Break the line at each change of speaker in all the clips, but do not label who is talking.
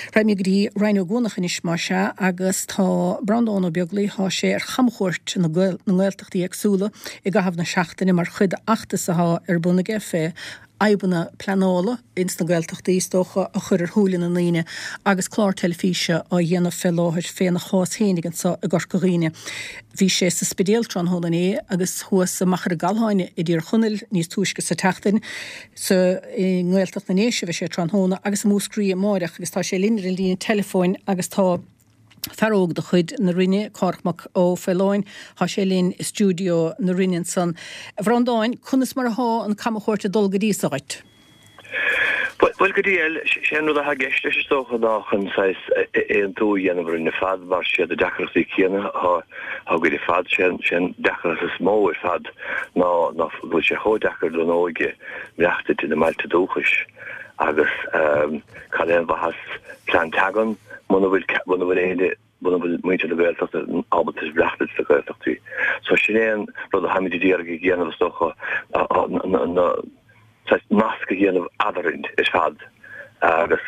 Raghaimid go dtí Rinn Ó gCuanach anois más ea agus tá Breandán Ó Beaglaoich, thá sé ar chamchuairt na nGaeltachtaí éagsúla i gcaitheamh na seachtaine mar chuid d'fheachtas athá ar bun aige fé fhadhbanna pleanála ins na Gaeltachtaí is dócha a chur ar shúile na ndaoine agus clár teilifíse á dhéanamh fé láthair féna chás fhéinig anso i gCorca Dhuibhne. Bhí sé sa Spidéal tráthnóna inné agus thuas i Machaire Galtháin i dTír Chonaill níos túisce sa tseachtain. Sa i nGaeltacht na nDéise a bheidh sé tráthnóna agus i Múscraí amáireach agus tá sé linn ar an líne teileafóin agus tá fear óg de chuid na Rinne, Cárthach Mac Ó Faoláin, tá sé linn i stiúideo na Rinne ansan. A Bhreandáin, conas mar athá an camchuairt ag dul go dtí so dhuit?
Bhuel, go diail, sé an rud atá i gceist leis is dócha ná chun saghas aontú a dhéanamh orainn ar fad mar siad na deacrachtaí céanna atá againn ar fad. Sé an deacracht is mó ar fad ná ná go bhfuil sé chomh deacair don óige maireachtaint ina mbailte dúchais agus cad é an mhaitheas plean teangan muna bhfuil muna bhfuil éinne muna bhfuil muintir na Gaeltachta ábalta maireachtaint sna Gaeltachtaí. So sin é an rud a tháimid ag iarraidh a dhéanamh is dócha na saghas nasc a dhéanamh eadrainn ar fad agus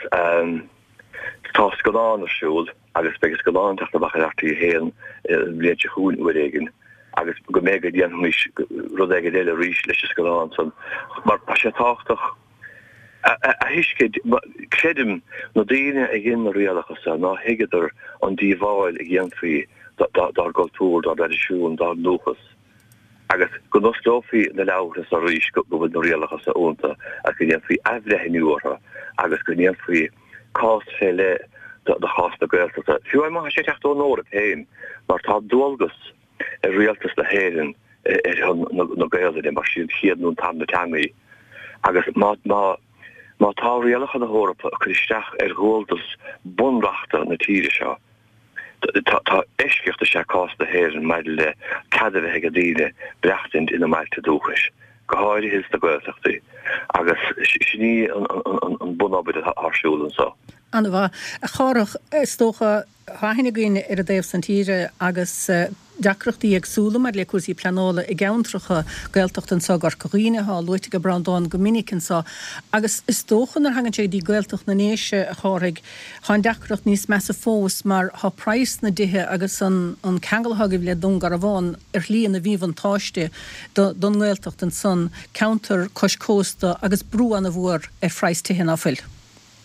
tá scannán ar siúl agus beidh an scannán ag teacht amach ar RTÉ 1 an bhliain seo chugainn uair éigin agus go mb'fhéidir go ndéanfaimis rud éigin eile arís leis an scannán san mar tá sé tábhachtach a thuiscint, creidim, na daoine a dhein na rialacha seo, nár thuigeadar an díobháil a dhéanfaí dár gcultúr, dár dtraidisiún, dár ndúchas. Agus go n-osclófaí na leabhartha seo arís go bhfuil na rialacha seo iontu agus go ndéanfaí athbhreithniú orthu agus go ndéanfaí cás fé leith do chás na Gaeltachta, fiú má tá sé ag teacht ón Eoraip féin, mar tá dualgas ar Rialtas na hÉireann ar shon na Gaelainne mar sí an chéad nó an tarna teanga í agus má má tá rialacha na hEorpa ag cur isteach ar dhualgas bunreachta na tíre seo tá tá eisceacht is ea cás na hÉireann maidir le cead a bheith ag daoine maireachtaint ina mbailte dúchais, go háirithe sna Gaeltachtaí agus sin í an an an bunobair atá ar siúl
anseo. An-mhaith. A Chárthach, is dócha Tá aithne againn ar an dtaobh san tíre agus deacrachtaí éagsúla maidir le cúrsaí pleanála i gceantracha Gaeltachta anseo i gCorca Dhuibhne, atá luaite ag Breandán go minic anseo. Agus is dócha nuair a thagann sé go dtí Gaeltacht na nDéise, a Chárthaigh, tá an deacracht níos measa fós mar tá praghas na dtithe agus an ceangal atá agaibh le Dún Garbhán ar shlí ina mhíbhuntáiste don nGaeltacht ansan, ceantar cois cósta agus brú ana-mhór ar phraghas tithe, ná fuil?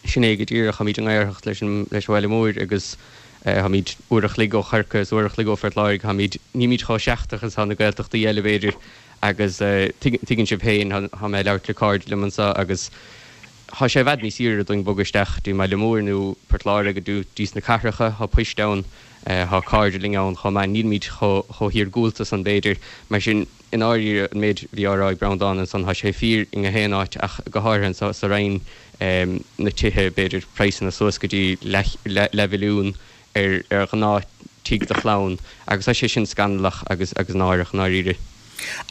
Sin é go díreach. Táimid i ngiorracht leis an leis an bhaile mór agus táimid uair a chloig ó Chorcaigh is uair a chloig ó Phort Láirge. Táimid, nílimid chomh seachtrach is atá na Gaeltachtaí eile b'fhéidir agus tuigeann sibh féin, tá mé ag labhairt le cairde liom anseo agus tá sé i bhfad níos saoire dúinn bogadh isteach dtí an mbaile mór nó Port Láirge nó dtí sna cathracha. Tá poist ann, tá cairde linn ann chomh maith. Nílimid chomh hiargúlta san b'fhéidir. Mar sin. I ndáiríre, an méid a bhí á rá ag Breandán ansan, tá sé fíor i ngach aon áit ach go háirithe anso sa Rinn, na tithe, b'fhéidir praghsanna suas go dtí leathmhilliún ar ar ghnáth tigh do chlann agus tá sé sin scannalach agus agus náireach i ndáiríre.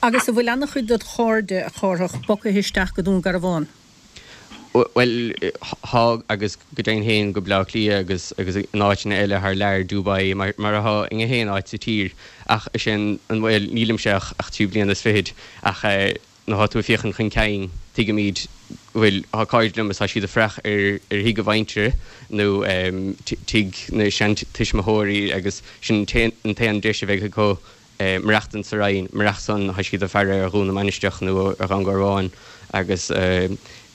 Agus an bhfuil an-chuid dod chairde, a Chárthach, bogtha isteach go Dún Garbhán?
Bhuel, thá, agus go deimhin féin go Bleá Cliath agus agus in áiteanna eile thar lear, Dubai, mar mar athá i ngach aon áit sa tír. Ach is é an, an, bhuel, nílimse ach ach 3 bliana is fichid, ach eh nuair athá tú ag féachaint chun cinn, tuigimid go bhfuil, thá cairde liom is tá siad ag fuireach ar ar thigh a mhuintire nó eh tigh na seantuismitheoirí agus sin an t-aon an t-aon deis a bheidh acu maireachtaint sa Rinn, murach san tá siad ag faire ar Dhún na Mainistreach nó ar Dhún Garbhán agus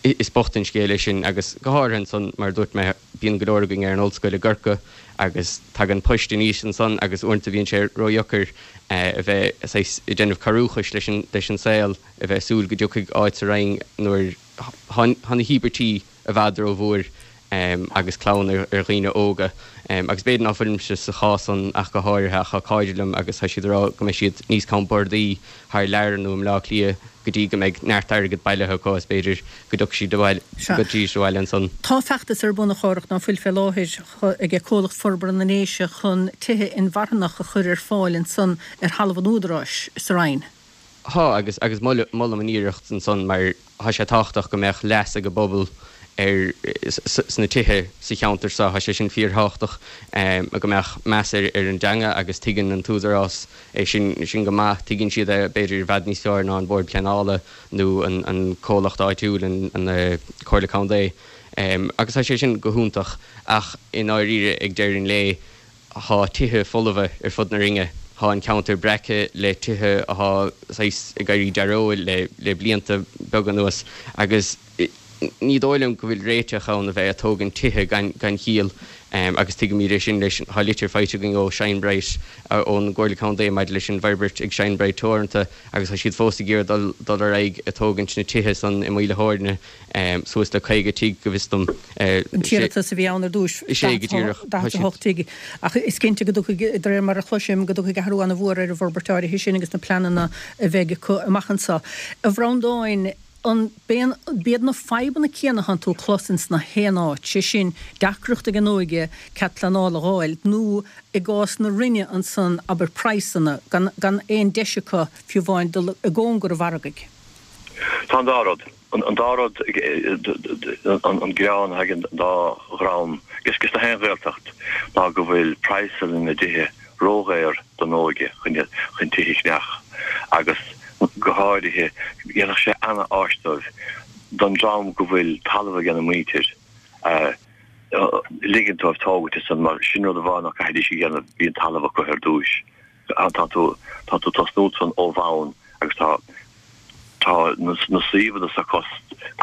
is bocht an scéal é sin agus go háirithe ansan mar a dúirt mé bíonn go leor againn ar an ollscoil i gCorcaigh agus tagann poist aníos ansan agus uaireanta bíonn sé ródheacair a bheith saghas ag déanamh cabhrúchais leis an leis an saol a bheith ag súil go dtiocfaidh áit sa Rinn nuair tá na híobairtí i bhfad rómhór agus clann ar dhaoine óga. Agus b'fhéidir ná fuilimse sa chás san ach go háirithe ach tá cairde liom agus tá siad ag rá go mbeidh siad níos compordaí thar lear nó i mBleá Cliath go dtí go mbeidh neart airgead bailithe acu is b'fhéidir go dtiocfaidh siad abhaile, go dtiocfaidh siad abhaile ansan.
Tá feachtas ar bun, a Chárthach, ná fuil fé láthair ag Comhlacht Forbartha na nDéise chun tithe inmharthanach a chur ar fáil ansan ar thalamh an Údaráis sa Rinn.
Thá, agus agus molaim an iarracht ansan mar thá sé tábhachtach go mbeadh leas ag an bpobal ar sna tithe sa cheantar seo, thá sé sin fíorthábhachtach go mbeadh meas ar ar an dteanga agus tuigeann an t-údarás é sin sin go maith, tuigeann siad é b'fhéidir i bhfad níos fearr ná an Bord Pleanála nó an an comhlacht áitiúil an an Comhairle Contae. Agus tá sé sin go hiontach ach i ndáiríre ag deireadh an lae thá tithe folmha ar fud na Rinne, thá an ceantar breactha le tithe athá saghas ag éirí dearóil le le blianta beaga anuas agus ní dóigh liom go bhfuil réiteach ann a bheith a' tógaint tithe gan gan chiall agus tuigimid é sin leis thá litir faighte againn ó Shine Bright ón gComhairle Contae maidir leis an bhforbairt ag Shine Bright Teoranta agus tá siad fós ag iarraidh dul dul ar aghaidh a' tógaint na tithe san i Maoil a' Thóirne. Suas le 50 tigh, go bhfios dom.
An t-iarratas a bhí ann ar dtúis, 48 tigh, ach is cinnte go dtiocfaidh, de réir mar a chloisim, go dtiocfaidh athrú an-mhór ar an bhforbairt áirithe sin agus na pleananna a bheidh acu amach anseo. A Bhreandáin, an b'iad na fadhbanna céanna atánn tú a chlos ins na haon áit, sé sin, deacracht ag an óige cead pleanála a dh'fháil, nó i gcás na Rinne ansan, abair, praghsanna, gan aon deis acu fiú amháin dul i gcóngar an mhargaidh?
Tá an dá rud. An dá rud, an gearán atá ag an dá dhream, agus na haon Ghaeltacht, ná go bhfuil praghsanna na dtithe ródhaor don óige chun tithe a cheannach agus go háirithe dhéanfadh sé ana-áis dóibh don dream go bhfuil talamh ag a muintir ligint dóibh tógaint ansan mar sin rud amháin ná caithfidís a dhéanamh bhí an talamh acu ar dtúis. Tá tú tá tú tosnú ansan ó bhonn agus tá tá na suíomhanna sa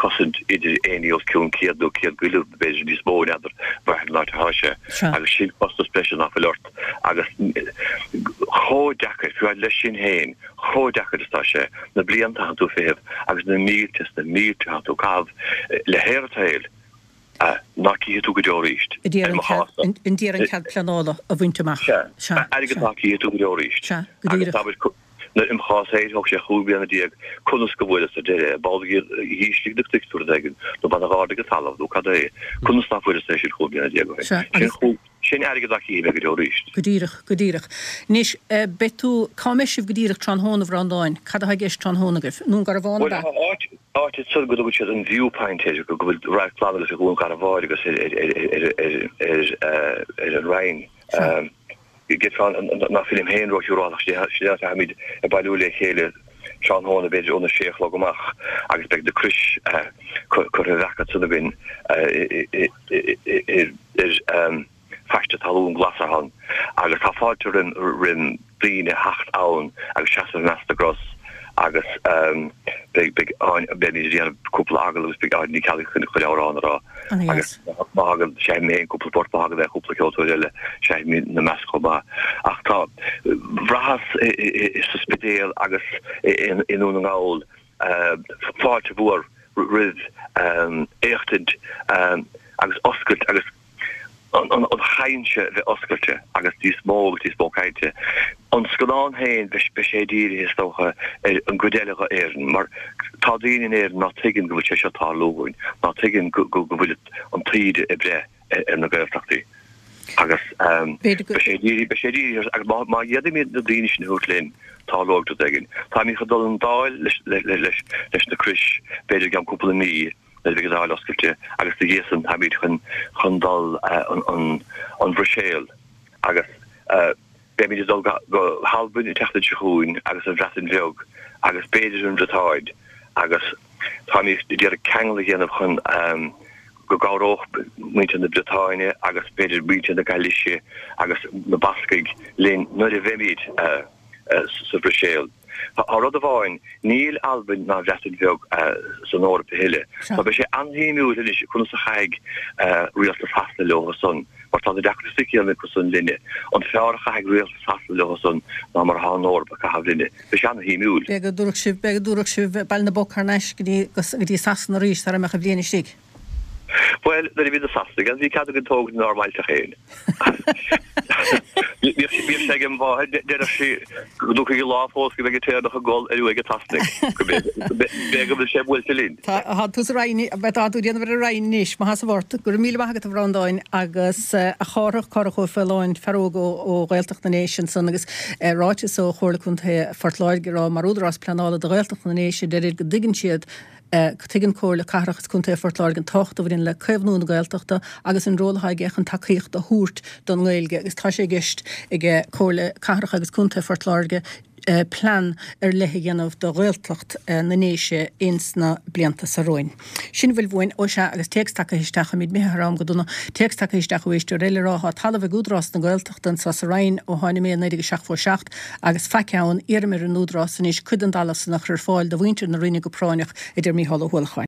cosaint idir éinní os cionn 100 nó 100 go leith b'fhéidir níos mó n'fheadar brath ar an áit atá sé agus sin costas breise nach bhfuil ort agus chomh deacair fiú leis sin féin chomh deacair is atá sé na blianta atánn tú ag feitheamh agus na mílte is na mílte atánn tú ag caitheamh le haer an tsaoil ná cífidh tú go deo arís.
I mo chás-sa. I ndiaidh an cead pleanála a bhaint amach.
Sea. Airgead ná cífidh tú go deo arís.
Sea, go díreach.
Agus abair, i mo chás féin, thóg sé 15 bliana conas go bhfuaireas ar deireadh, ball dh'ísligh na cnoic nó rud éigin, nó baineadh ardaigh an talamh, nó cad é, conas ná fuaireas é sin 15 bliana ó shin.
Sea, agus.
Sin airgead ná cífidh mé go deo arís.
Go díreach, go díreach. Anois, beidh tú, cá mbeidh sibh go díreach tráthnóna, a Bhreandáin? Cad atá i gceist tráthnóna agaibh? I nDún Garbhán, ab
ea? Bhuel, tá áit, áit ansan go dtugann siad an Viewpoint air, go bhfuil radharc glan agat ar Dhún Garbhán agus ar, ar, ar, ar, ar, ar an Rinn. Déarfá ná fuilim féin róshiúrálach, sin é an áit a dtáimid ag bailiú le chéile tráthnóna, b'fhéidir óna sé a chlog amach agus beidh na crois curtha a bhreacadh ansan againn ar phaiste talún glas atá ann agus tá fáilte roim daoine theacht ann agus seasamh i measc na gcros agus beidh beimid ag déanamh cúpla agallamh agus beidh Áine Ní Cheallaigh chun amhrán a rá agus má thagann seinnfidh mé féin cúpla port má thagann cúpla ceoltóir eile seinnfimid ina measc chomh maith. Ach tá bhraitheas sa Spidéal agus i nDún na nGall fáilte mhór roimh éachtaint agus oscailt agus an chaint a bheith oscailte agus níos mó agus níos mó cainte. An scannán féin, beidh sé dírithe, is dócha, ar an gcuid eile d'Éirinn mar tá daoine in Éirinn ná tuigeann go bhfuil sé seo ag tarlú dhúinn, ná tuigeann go bhfuil an taoide ag breith ar na Gaeltachtaí agus beidh sé dírithe, beidh sé dírithe agus má má d'fhéadfaimid na daoine sin a thabhairt linn, tarlóidh rud éigin. Táimid chun dul an Dáil leis leis leis na crois b'fhéidir i gceann cúpla mí nuair a bheidh an Dáil oscailte agus ina dhiaidh san táimid chun chun dul an an an Bhruiséil agus beimid ag dul go go hAlbain an tseachtain seo chugainn agus an Bhreatain Bheag agus b'fhéidir an Bhriotáin agus Táimid ag iarraidh ceangal a dhéanamh chun go gcabhródh muintir na Briotáine agus b'fhéidir muintir na Gailíse agus na Bascaigh linn nuair a bheimid sa Bhruiséil. Tá rud amháin, níl Albain ná an Bhreatain Bheag san Eoraip a thuilleadh. So beidh sé an-shuimiúil anois conas a chaithfidh rialtas Shasana leo san, mar tá na deacrachtaí céanna acu san linne. An fearr a chaithfidh rialtas Shasana leo san ná mar atá an Eoraip ag caitheamh linne. Beidh sé an-shuimiúil.
B'fhéidir go dtabharfadh sibh, b'fhéidir go dtabharfadh sibh Baile na bPoc thar n-ais go dtí, go dtí Sasana arís sara mbeadh an bhliain istigh.
Bhuel, nuair a bhí na Sasanaigh ann, bhí cead againn tógaint inár mbailte féin. Bhíodh sé ag im mháthair, deireadh sí go dtiocfaidh an lá fós go mbeidh an tÉireannach ag gol ar uaigh an tSasanaigh. Go b'fhéidir go bhfuil sé buailte linn.
Tá, tá tú sa Rinn, tá tú ag déanamh ar an Rinn anois, maith as a bhort. Go raibh míle maith agat a Bhreandáin agus a Chárthach, Cárthach Ó Faoláin, fear óg ó Ghaeltacht na nDéise ansan agus ráiteas ó Chomhairle Contae Phort Láirge ag rá mar údarás pleanála do Ghaeltacht na nDéise deirid go dtuigeann siad Tuigeann Comhairle Cathrach is Contae Phort Láirge an tábhacht a bhaineann le caomhnú na Gaeltachta agus an ról atá aige chun tacaíocht a thabhairt don nGaeilge agus tá sé i gceist ag Comhairle Cathrach agus Contae Phort Láirge. Plean ar leith a dhéanamh do Ghaeltacht na nDéise ins na blianta so romhainn. Sin a bhfuil uainn. Ó sea, agus téacs tagtha isteach, táimid imithe thar am go dona, téacs tagtha isteach ó éisteoir eile ag rá thá talamh ag Údarás na Gaeltachta anso sa Rinn ó tháinig mé i 1977 agus faic ann, iarraim ar an Údarás anois cuid den dtalamh san a chur ar fáil do mhuintir na Rinne go práinneach, a deir Mícheál Ó hUallacháin.